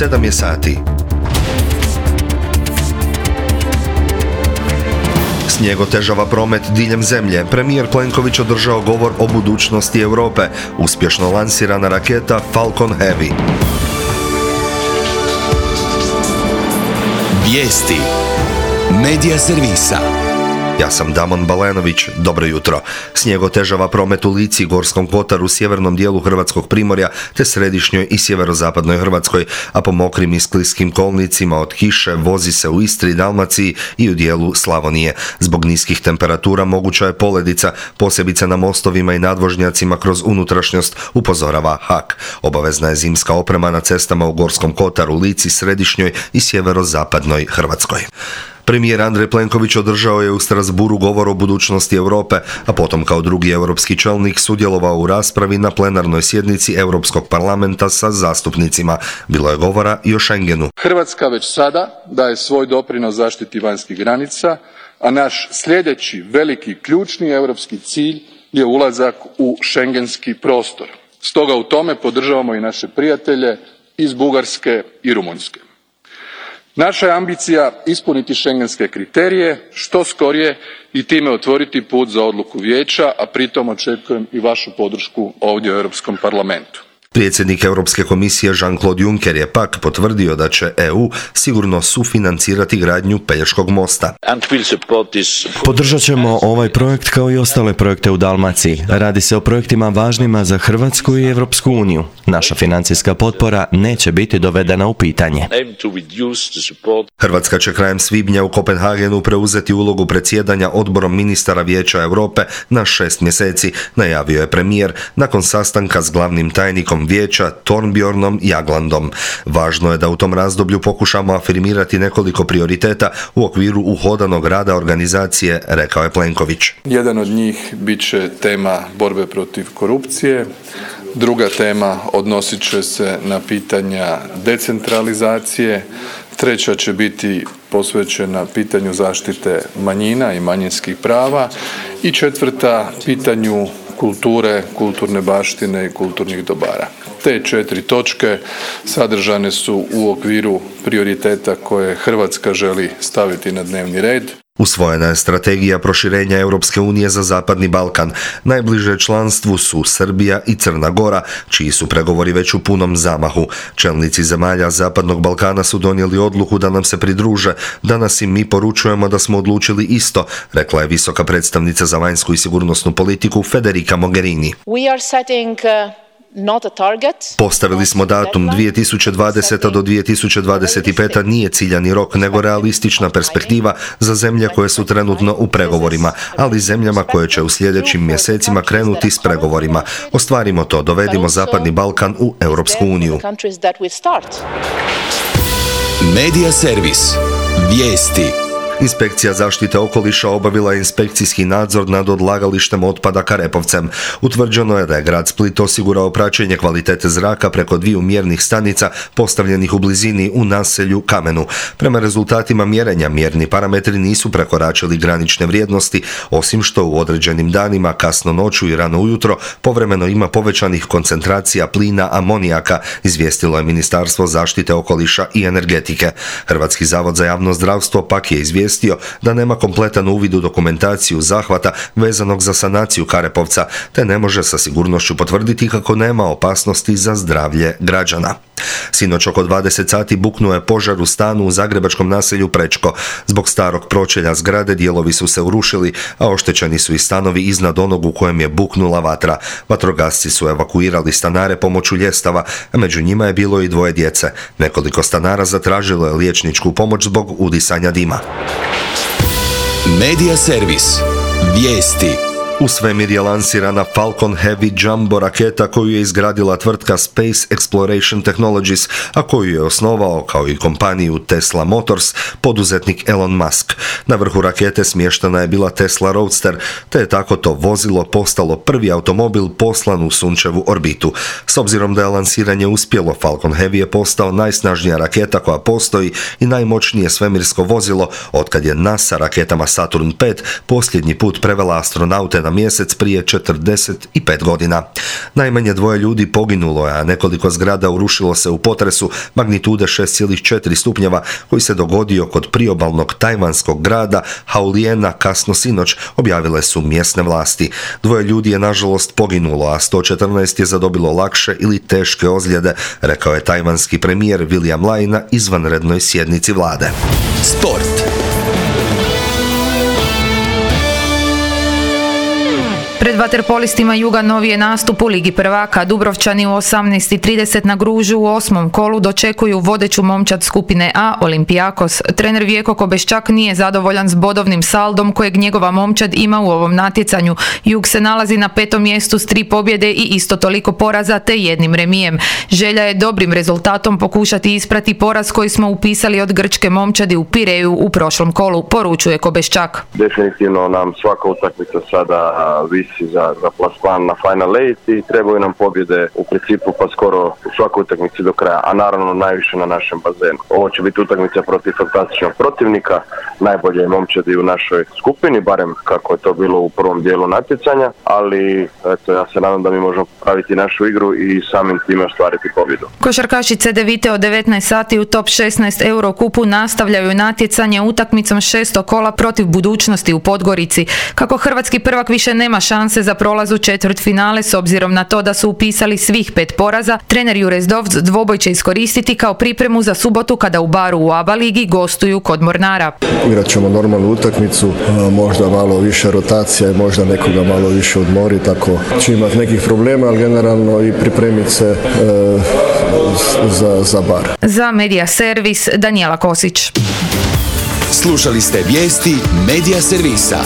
7 je sati. Snijeg otežava promet diljem zemlje. Premijer Plenković održao govor o budućnosti Europe. Uspješno lansirana raketa Falcon Heavy. Vijesti Medija servisa. Ja sam Damon Balenović, dobro jutro. Snijeg otežava promet u Lici, Gorskom kotaru, sjevernom dijelu Hrvatskog primorja te središnjoj i sjeverozapadnoj Hrvatskoj, a po mokrim i skliskim kolnicima od kiše vozi se u Istri, Dalmaciji i u dijelu Slavonije. Zbog niskih temperatura moguća je poledica, posebice na mostovima i nadvožnjacima kroz unutrašnjost, upozorava HAK. Obavezna je zimska oprema na cestama u Gorskom kotaru, Lici, središnjoj i sjeverozapadnoj Hrvatskoj. Premijer Andrej Plenković održao je u Strasbourgu govor o budućnosti Europe, a potom kao drugi europski čelnik sudjelovao u raspravi na plenarnoj sjednici Europskog parlamenta sa zastupnicima. Bilo je govora i o Schengenu. Hrvatska već sada daje svoj doprinos zaštiti vanjskih granica, a naš sljedeći veliki ključni europski cilj je ulazak u schengenski prostor. Stoga u tome podržavamo i naše prijatelje iz Bugarske i Rumunjske. Naša je ambicija ispuniti schengenske kriterije što skorije i time otvoriti put za odluku Vijeća, a pritom očekujem i vašu podršku ovdje u Europskom parlamentu. Predsjednik Europske komisije Jean-Claude Juncker je pak potvrdio da će EU sigurno sufinancirati gradnju Pelješkog mosta. Podržat ćemo ovaj projekt kao i ostale projekte u Dalmaciji. Radi se o projektima važnima za Hrvatsku i Europsku uniju. Naša financijska potpora neće biti dovedena u pitanje. Hrvatska će krajem svibnja u Kopenhagenu preuzeti ulogu predsjedanja odborom ministara Vijeća Europe na 6 mjeseci, najavio je premijer nakon sastanka s glavnim tajnikom Vijeća Thorbjørnom Jaglandom. Važno je da u tom razdoblju pokušamo afirmirati nekoliko prioriteta u okviru uhodanog rada organizacije, rekao je Plenković. Jedan od njih bit će tema borbe protiv korupcije, druga tema odnosit će se na pitanja decentralizacije, treća će biti posvećena pitanju zaštite manjina i manjinskih prava i četvrta pitanju kulture, kulturne baštine i kulturnih dobara. Te 4 točke sadržane su u okviru prioriteta koje Hrvatska želi staviti na dnevni red. Usvojena je strategija proširenja Europske unije za Zapadni Balkan. Najbliže članstvu su Srbija i Crna Gora, čiji su pregovori već u punom zamahu. Čelnici zemalja Zapadnog Balkana su donijeli odluku da nam se pridruže. Danas im mi poručujemo da smo odlučili isto, rekla je visoka predstavnica za vanjsku i sigurnosnu politiku Federica Mogherini. Postavili smo datum 2020. do 2025. nije ciljani rok, nego realistična perspektiva za zemlje koje su trenutno u pregovorima, ali zemljama koje će u sljedećim mjesecima krenuti s pregovorima. Ostvarimo to, dovedimo Zapadni Balkan u Europsku uniju. Medija servis. Vijesti. Inspekcija zaštite okoliša obavila je inspekcijski nadzor nad odlagalištem otpada Karepovcem. Utvrđeno je da je grad Split osigurao praćenje kvalitete zraka preko 2 mjernih stanica postavljenih u blizini u naselju Kamenu. Prema rezultatima mjerenja mjerni parametri nisu prekoračili granične vrijednosti, osim što u određenim danima, kasno noću i rano ujutro, povremeno ima povećanih koncentracija plina amonijaka, izvijestilo je Ministarstvo zaštite okoliša i energetike. Hrvatski zavod za javno zdravstvo pak je izvijestio da nema kompletan uvid u dokumentaciju zahvata vezanog za sanaciju Karepovca, te ne može sa sigurnošću potvrditi kako nema opasnosti za zdravlje građana. Sinoć oko 20 sati buknuo je požar u stanu u zagrebačkom naselju Prečko. Zbog starog pročelja zgrade dijelovi su se urušili, a oštećeni su i stanovi iznad onog u kojem je buknula vatra. Vatrogasci su evakuirali stanare pomoću ljestava, a među njima je bilo i 2 djece. Nekoliko stanara zatražilo je liječničku pomoć zbog udisanja dima. Medija servis. Vijesti. U svemir je lansirana Falcon Heavy Jumbo raketa koju je izgradila tvrtka Space Exploration Technologies, a koju je osnovao, kao i kompaniju Tesla Motors, poduzetnik Elon Musk. Na vrhu rakete smještena je bila Tesla Roadster, te je tako to vozilo postalo prvi automobil poslan u sunčevu orbitu. S obzirom da je lansiranje uspjelo, Falcon Heavy je postao najsnažnija raketa koja postoji i najmoćnije svemirsko vozilo otkad je NASA raketama Saturn V posljednji put prevela astronaute na mjesec prije 45 godina. Najmanje 2 ljudi poginulo je, a nekoliko zgrada urušilo se u potresu magnitude 6,4 stupnjeva koji se dogodio kod priobalnog tajvanskog grada Haoliena kasno sinoć, objavile su mjesne vlasti. 2 ljudi je nažalost poginulo, a 114 je zadobilo lakše ili teške ozljede, rekao je tajvanski premijer William Lai na izvanrednoj sjednici vlade. Sport. Pred vaterpolistima Juga novi je nastup u Ligi prvaka. Dubrovčani u 18:30 na Gružu u 8. kolu dočekuju vodeću momčad skupine A Olympiakos. Trener Vjeko Kobeščak nije zadovoljan s bodovnim saldom kojeg njegova momčad ima u ovom natjecanju. Jug se nalazi na 5. mjestu s 3 pobjede i isto toliko poraza te 1 remijem. Želja je dobrim rezultatom pokušati isprati poraz koji smo upisali od grčke momčadi u Pireju u prošlom kolu, poručuje Kobeščak. Definitivno nam svaka utakmica sada visi za plasman na Final 8 i trebaju nam pobjede u principu pa skoro u svakoj utakmici do kraja, a naravno najviše na našem bazenu. Ovo će biti utakmica protiv fantastičnog protivnika, najbolje momčadi u našoj skupini, barem kako je to bilo u prvom dijelu natjecanja, ali eto, ja se nadam da mi možemo popraviti našu igru i samim time ostvariti pobjedu. Košarkaši CDVite od 19 sati u top 16 Eurokupu nastavljaju natjecanje utakmicom 6. kola protiv Budućnosti u Podgorici. Kako hrvatski prvak više nema šanse za prolaz u četvrtfinale s obzirom na to da su upisali svih 5 poraza, trener Jure Zdovc dvoboj će iskoristiti kao pripremu za subotu kada u Baru u ABA ligi gostuju kod Mornara. Igrat ćemo normalnu utakmicu, možda malo više rotacija i možda nekoga malo više odmoriti, tako će imati nekih problema, ali generalno i pripremiti se za Bar. Za Medija Servis Danijela Kosić. Slušali ste vijesti Medija Servisa.